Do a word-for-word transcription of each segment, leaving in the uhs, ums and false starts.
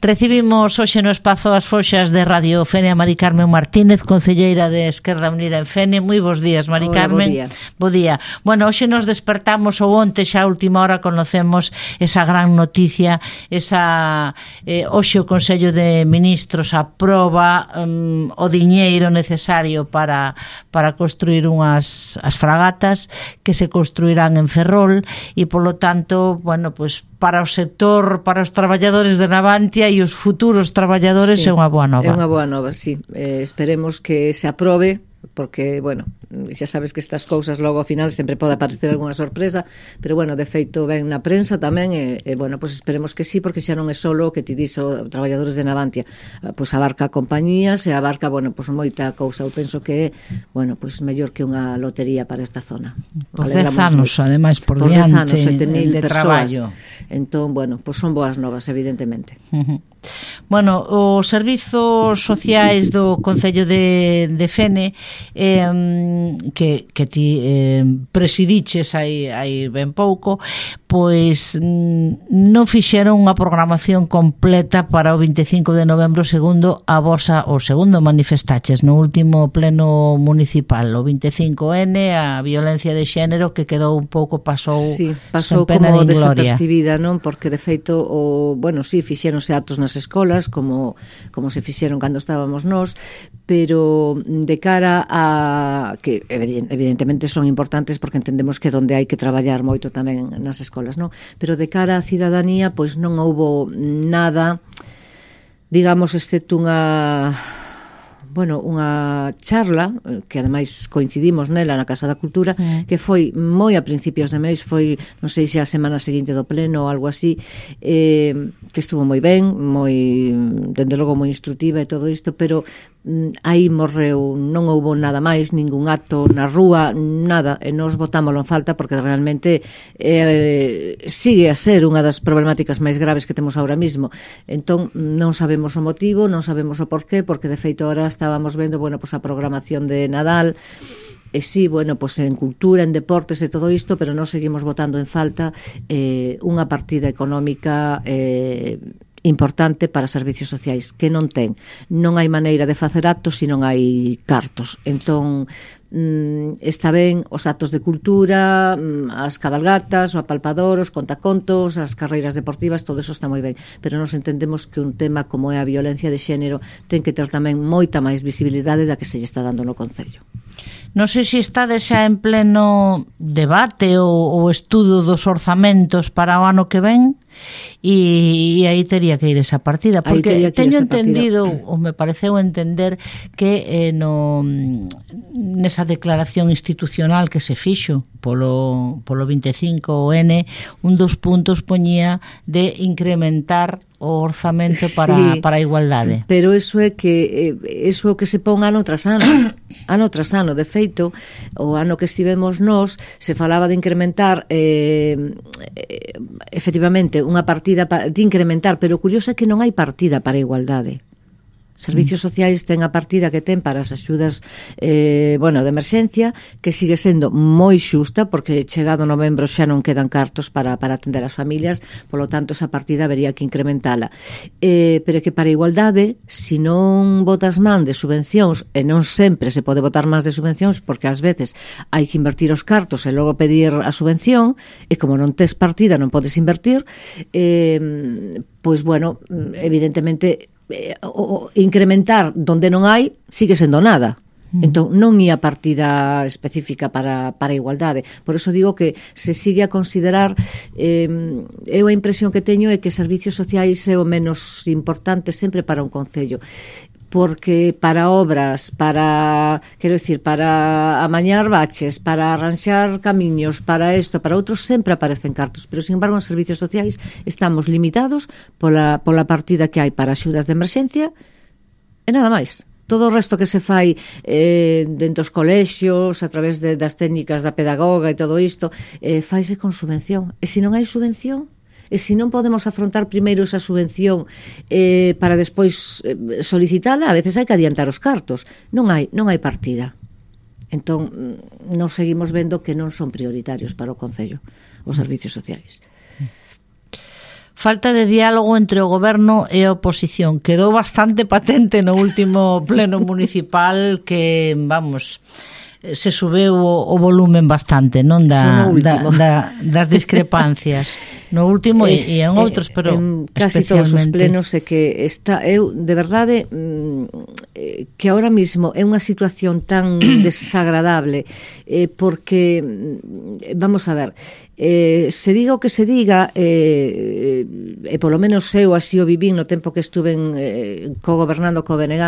Recibimos hoxe no espazo as foxas de Radio Fene a Mari Carmen Martínez, concelleira de Esquerda Unida en Fene. Moi bos días, Mari Carmen. Hola, bo día. Bo día. Bueno, hoxe nos despertamos ou onte xa a última hora conocemos esa gran noticia, esa eh, hoxe o Consello de Ministros aproba um, o diñeiro necesario para para construir unhas as fragatas que se construirán en Ferrol e polo tanto, bueno, pues para o sector, para os traballadores de Navantia e os futuros traballadores, sí, é unha boa nova. É unha boa nova, sí. Eh, esperemos que se aprobe, porque, bueno, xa sabes que estas cousas logo ao final sempre pode aparecer algunha sorpresa, pero, bueno, de feito ven na prensa tamén, e, e bueno, pues esperemos que sí, porque xa non é solo o que ti dixo traballadores de Navantia, pois abarca compañías e abarca, bueno, pues moita cousa. Eu penso que é, bueno, pues mellor que unha lotería para esta zona. Por dez anos, ademais, por, por diante sete mil de traballo. Entón, bueno, pues son boas novas, evidentemente. Uh-huh. Bueno, os servizos sociais do Concello de, de Fene eh, que, que ti eh, presidiches aí, aí ben pouco, pois non fixeron unha programación completa para o vinte e cinco de novembro, segundo a vosa, o segundo manifestaches no último pleno municipal, o vinte e cinco ene, a violencia de xénero, que quedou un pouco, pasou, sí, pasou como desapercibida, non? Porque de feito, o, bueno, sí, fixéronse actos nas escolas, como, como se fixeron cando estábamos nós, pero de cara a que evidentemente son importantes porque entendemos que donde hai que traballar moito tamén nas escolas, non? Pero de cara á cidadanía, pois non houbo nada, digamos, excepto unha bueno, unha charla que ademais coincidimos nela na Casa da Cultura, mm. que foi moi a principios de mes, foi, non sei se a semana seguinte do pleno ou algo así, eh, que estuvo moi ben, moi, dende logo moi instructiva e todo isto, pero mm, aí morreu, non houbo nada máis, ningún acto na rúa, nada, e nos botámoslo en falta porque realmente eh, sigue a ser unha das problemáticas máis graves que temos ahora mismo. Entón, non sabemos o motivo, non sabemos o porqué, porque de feito ahora estábamos vendo, bueno, pues a programación de Nadal, e sí, bueno, pues en cultura, en deportes e todo isto, pero non seguimos botando en falta eh, unha partida económica eh, importante para servicios sociais, que non ten. Non hai maneira de facer actos se non hai cartos. Entón, mm, está ben os actos de cultura, mm, as cabalgatas, o apalpador, os contacontos, as carreiras deportivas, todo eso está moi ben, pero nos entendemos que un tema como é a violencia de xénero ten que ter tamén moita máis visibilidade da que se lle está dando no Concello. Non sei se está xa en pleno debate ou, ou estudo dos orzamentos para o ano que ven, e, e aí tería que ir esa partida, porque teño entendido, ou me pareceu entender que eh, no, nesa declaración institucional que se fixo polo, polo vinte e cinco ene, un dos puntos poñía de incrementar o orzamento para, sí, para a igualdade. Pero iso é que iso é o que se pon ano tras ano. Ano tras ano. De feito, o ano que estivemos nós, se falaba de incrementar eh, efectivamente unha partida de incrementar, pero o curioso é que non hai partida para a igualdade. Servicios sociais ten a partida que ten para as axudas eh, bueno, de emerxencia, que sigue sendo moi xusta, porque chegado novembro xa non quedan cartos para, para atender as familias, polo tanto esa partida habería que incrementala. Eh, pero que para a igualdade, se non botas man de subvencións, e non sempre se pode botar máis de subvencións, porque ás veces hai que invertir os cartos e logo pedir a subvención, e como non tes partida non podes invertir, eh, pois bueno, evidentemente o incrementar donde non hai sigue sendo nada. Entón non ia partida específica para, para a igualdade. Por eso digo que se sigue a considerar, eh, eu a impresión que teño é que servicios sociais é o menos importante sempre para un concello, porque para obras, para, quero dicir, para amañar baches, para arranxar camiños, para isto, para outros, sempre aparecen cartos, pero, sin embargo, en servicios sociais estamos limitados pola, pola partida que hai para axudas de emerxencia e nada máis. Todo o resto que se fai eh, dentro dos colexios, a través de, das técnicas da pedagoga e todo isto, eh, faise con subvención. E se non hai subvención, e se non podemos afrontar primeiro esa subvención eh, para despois eh, solicitala, a veces hai que adiantar os cartos. Non hai, non hai partida. Entón, nos seguimos vendo que non son prioritarios para o Concello os servicios sociais. falta de diálogo entre o goberno e a oposición. Quedou bastante patente no último pleno municipal que, vamos, se subeu o, o volumen bastante, non da, da, da, das discrepancias. No último e, e en outros, pero en casi todos os plenos é que está, eu, de verdade, que ahora mismo é unha situación tan desagradable, eh, porque, vamos a ver, eh, se diga o que se diga, eh, e polo menos eu así o vivín no tempo que estuve en, eh, co-gobernando co B N G,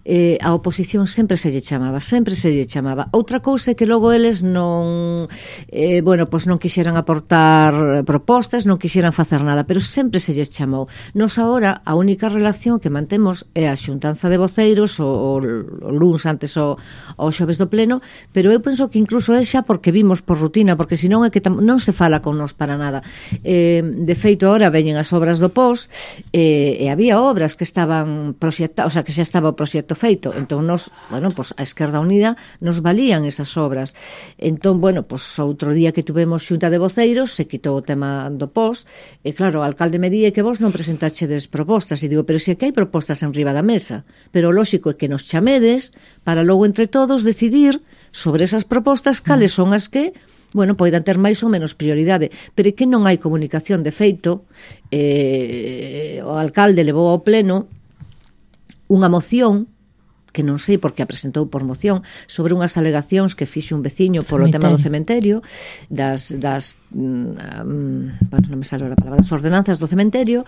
eh, a oposición sempre se lle chamaba, sempre se lle chamaba. Outra cousa é que logo eles non, eh, bueno, pois non quixeran aportar propostas, non quixeran facer nada, pero sempre se lles chamou. Nos agora, a única relación que mantemos é a xuntanza de voceiros o, o luns antes o, o xoves do pleno, pero eu penso que incluso é xa porque vimos por rutina, porque senón é que tam, non se fala con nos para nada. Eh, de feito, agora veñen as obras do P O S eh, e había obras que estaban proxectadas, o sea, que xa estaba o proxecto feito, entón nos, bueno, pues a Esquerda Unida nos valían esas obras. Entón, bueno, pues outro día que tuvemos xunta de voceiros se quitou o tema do P O S e claro, o alcalde me di que vos non presentachedes propostas e digo, pero se que hai propostas en riba da mesa, pero o lóxico é que nos chamedes para logo entre todos decidir sobre esas propostas cales son as que, bueno, poidan ter máis ou menos prioridade, pero é que non hai comunicación. De feito, eh, o alcalde levou ao pleno unha moción que non sei por que a presentou por moción, sobre unhas alegacións que fixe un veciño polo cementerio. Tema do cementerio, das, das um, bueno, non me sale a palabra, das ordenanzas do cementerio.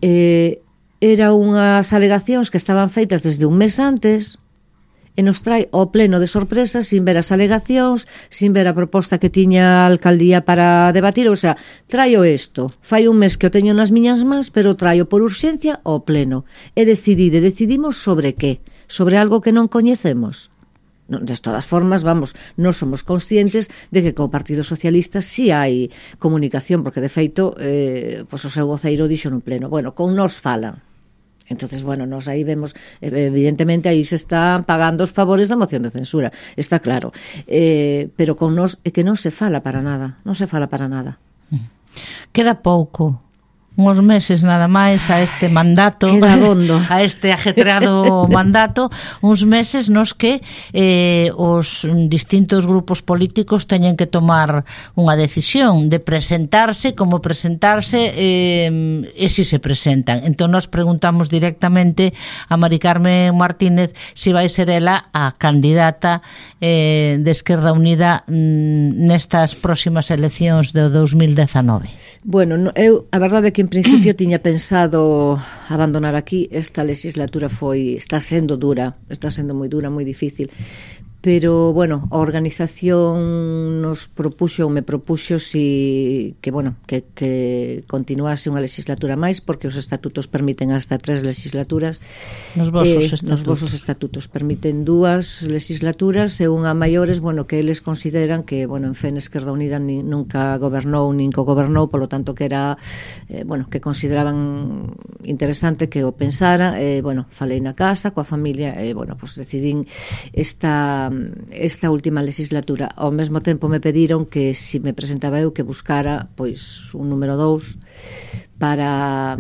Eh, era unhas alegacións que estaban feitas desde un mes antes e nos trae ao pleno de sorpresa sin ver as alegacións, sin ver a proposta que tiña a alcaldía para debatir, o sea, traio isto, fai un mes que o teño nas miñas mans, pero traio por urxencia ao pleno, e decidide, decidimos sobre que? Sobre algo que non coñecemos. Non, de todas formas, vamos, non somos conscientes de que co Partido Socialista si hai comunicación, porque de feito, eh, pois o seu voceiro dixo no pleno, bueno, con nos falan. Entonces, bueno, nos aí vemos, evidentemente, aí se están pagando os favores da moción de censura, está claro. Eh, pero con nos é que non se fala para nada, non se fala para nada. Queda pouco, uns meses nada máis a este mandato, a este ajetreado mandato, uns meses nos que eh, os distintos grupos políticos teñen que tomar unha decisión de presentarse, como presentarse eh, e si se presentan. Entón nos preguntamos directamente a Mari Carmen Martínez se si vai ser ela a candidata eh, de Esquerda Unida mm, nestas próximas eleccións do dos mil dezanove. Bueno, eu a verdade é que en principio tiña pensado abandonar aquí. Esta legislatura foi, está sendo dura, está sendo moi dura, moi difícil. Pero, bueno, a organización nos propuxo, ou me propuxo si, que, bueno, que, que continuase unha legislatura máis, porque os estatutos permiten hasta tres legislaturas. Nos vosos eh, estatutos. Nos vosos estatutos permiten dúas legislaturas e unha maiores, bueno, que eles consideran que, bueno, en fe, Esquerda Unida ni, nunca gobernou, nin co-gobernou, polo tanto que era, eh, bueno, que consideraban interesante que o pensara, e, eh, bueno, falei na casa, coa familia, e, eh, bueno, pues decidín esta esta última legislatura. Ao mesmo tempo me pediron que se si me presentaba eu que buscara pois un número dous para,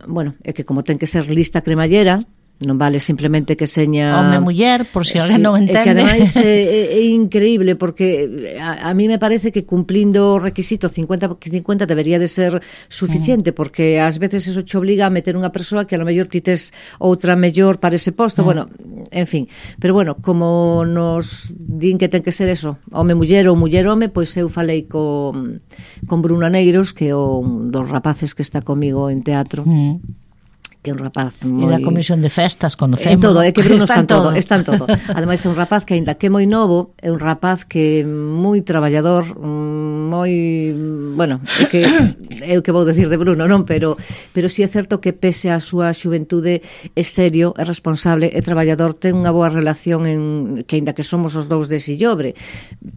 bueno, é que como ten que ser lista cremallera, non vale simplemente que seña home muller, por si alguén sí, non entende. É que ademais é, é increíble, porque a, a mí me parece que cumplindo o requisito cincuenta cincuenta debería de ser suficiente, mm. porque ás veces eso che obliga a meter unha persoa que a lo mellor ti tes outra mellor para ese posto, mm. bueno, en fin, pero bueno, como nos din que ten que ser eso, home muller ou muller home, pois eu falei con, con Bruno Aneiros, que é un dos rapaces que está comigo en teatro, mm. que é un rapaz moi... E da comisión de festas, conocemos. En todo, é que Bruno está en todo, está en todo. Ademais é un rapaz que, aínda que é moi novo, é un rapaz que é moi traballador, moi... Bueno, é que é o que vou decir de Bruno, non? Pero pero si sí é certo que pese a súa xuventude é serio, é responsable, é traballador, ten unha boa relación en que aínda que somos os dous de Sillobre,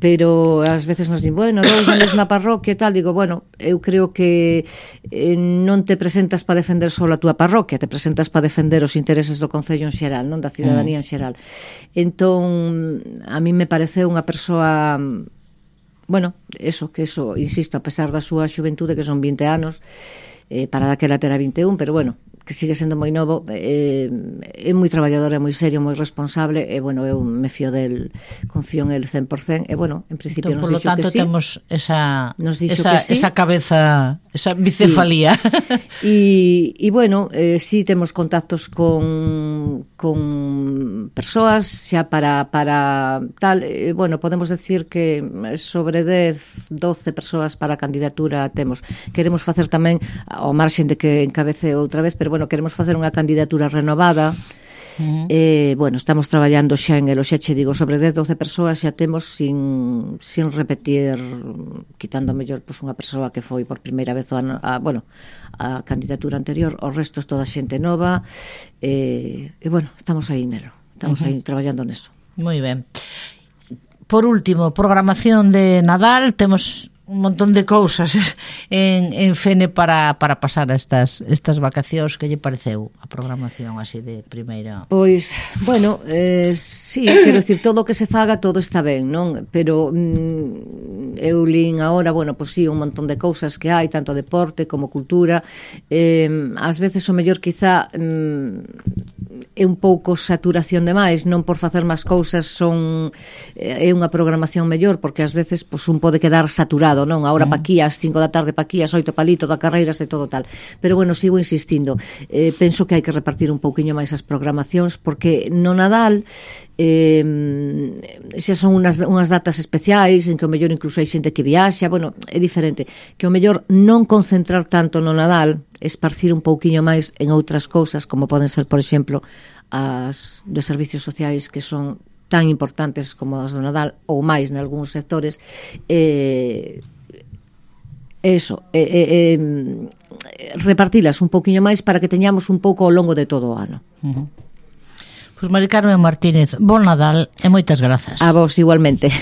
pero ás veces nos din, bueno, dous na mesma parroquia e tal, digo, bueno, eu creo que eh, non te presentas para defender só a túa parroquia, te presentas para defender os intereses do Concello en xeral, non da cidadanía en xeral. Entón, a mí me pareceu unha persoa bueno, eso, que eso, insisto, a pesar da súa xuventude, que son vinte anos, eh, para daquela terá vinte e un, pero bueno, que sigue sendo moi novo, eh, é moi traballador, é moi serio, moi responsable, e bueno, eu me fío del, confío en el cen por cento, e bueno, en principio entón, nos dixo que sí. Por lo tanto, temos esa, nos esa, sí. esa cabeza, esa bicefalía. Sí. E, e bueno, eh, sí temos contactos con, con persoas xa para, para tal, eh, bueno, podemos decir que sobre dez, doce persoas para a candidatura temos. Queremos facer tamén, ao marxen de que encabece outra vez, pero bueno, queremos facer unha candidatura renovada. Uh-huh. Eh, bueno, estamos traballando xa en el, xa che digo, sobre dez, doce persoas xa temos sin, sin repetir, quitando mellor pues, unha persoa que foi por primeira vez a, a, bueno, a candidatura anterior, o resto é toda xente nova, eh, e bueno, estamos aí nelo, estamos uh-huh. aí traballando neso. Moi ben. Por último, programación de Nadal, temos un montón de cousas en, en Fene para, para pasar estas, estas vacacións. Que lle pareceu a programación así de primeira? Pois, bueno, eh, sí, quero dicir, todo o que se faga, todo está ben, non? Pero mm, eu lín agora, bueno, pois sí, un montón de cousas que hai, tanto deporte como cultura. Eh, ás veces o mellor quizá mm, é un pouco saturación demais, non por facer máis cousas son é unha programación mellor, porque ás veces pois, un pode quedar saturado, non? Ahora pa aquí, ás cinco da tarde pa aquí, ás oito palito da carreiras e todo tal. Pero bueno, sigo insistindo. Eh, penso que hai que repartir un pouquiño máis as programacións, porque no Nadal eh, xa son unhas, unhas datas especiais en que o mellor incluso hai xente que viaxa, bueno, é diferente. Que o mellor non concentrar tanto no Nadal, esparcir un pouquiño máis en outras cousas, como poden ser, por exemplo, as de servicios sociais que son tan importantes como as do Nadal ou máis nalgúns sectores, eh, eso, eh, eh, repartilas un poquinho máis para que teñamos un pouco ao longo de todo o ano. Uh-huh. Pois Mari Carmen Martínez, bon Nadal e moitas grazas. A vos igualmente.